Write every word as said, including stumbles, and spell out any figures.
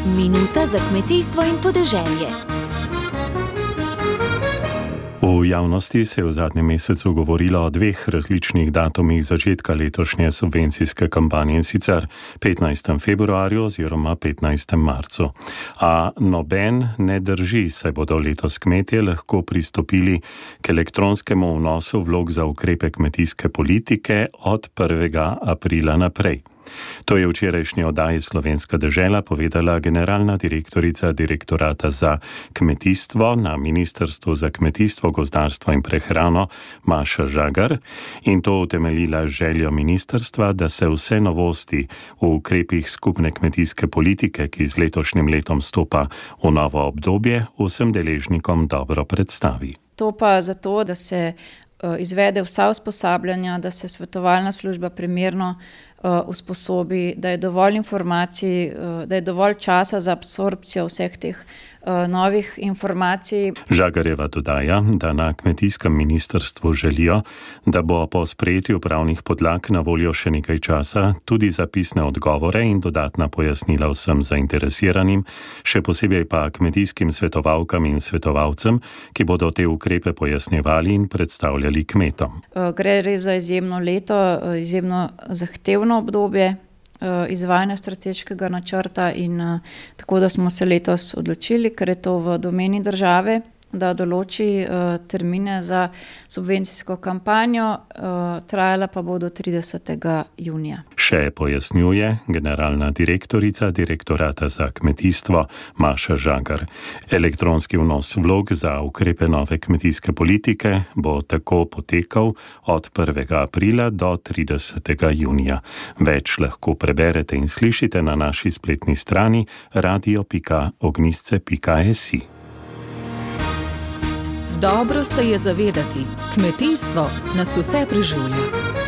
Minuta za kmetijstvo in podeželje. V javnosti se je v zadnjem mesecu govorilo o dveh različnih datumih začetka letošnje subvencijske kampanje, in sicer petnajstem februarju oziroma petnajstem marcu. A noben ne drži, saj bodo letos kmetje lahko pristopili k elektronskemu vnosu vlog za ukrepe kmetijske politike od prvega aprila naprej. To je v včerajšnji oddaji Slovenska dežela povedala generalna direktorica Direktorata za kmetijstvo na Ministrstvu za kmetijstvo, gozdarstvo in prehrano Maša Žagar in to utemeljila željo ministrstva, da se vse novosti v ukrepih skupne kmetijske politike, ki z letošnjim letom stopa v novo obdobje, vsem deležnikom dobro predstavi. To pa zato, da se izvede vsa usposabljanja, da se svetovalna služba primerno usposobi, da je dovolj informacij, da je dovolj časa za absorpcijo vseh teh novih informacij. Žagarjeva dodaja, da na kmetijskem ministrstvu želijo, da bo po sprejetju pravnih podlag na voljo še nekaj časa tudi za pisne odgovore in dodatna pojasnila vsem zainteresiranim, še posebej pa kmetijskim svetovalkam in svetovalcem, ki bodo te ukrepe pojasnjevali in predstavljali kmetom. Gre res za izjemno leto, izjemno zahtevno obdobje izvajanja strateškega načrta in tako, da smo se letos odločili, ker je to v domeni države, da določi termine za subvencijsko kampanjo, trajala pa bo do tridesetega junija. Še pojasnjuje generalna direktorica Direktorata za kmetijstvo Maša Žagar. Elektronski vnos vlog za ukrepe nove kmetijske politike bo tako potekal od prvega aprila do tridesetega junija. Več lahko preberete in slišite na naši spletni strani radio pika ognjišče pika si. Dobro se je zavedati, kmetijstvo nas vse preživlja.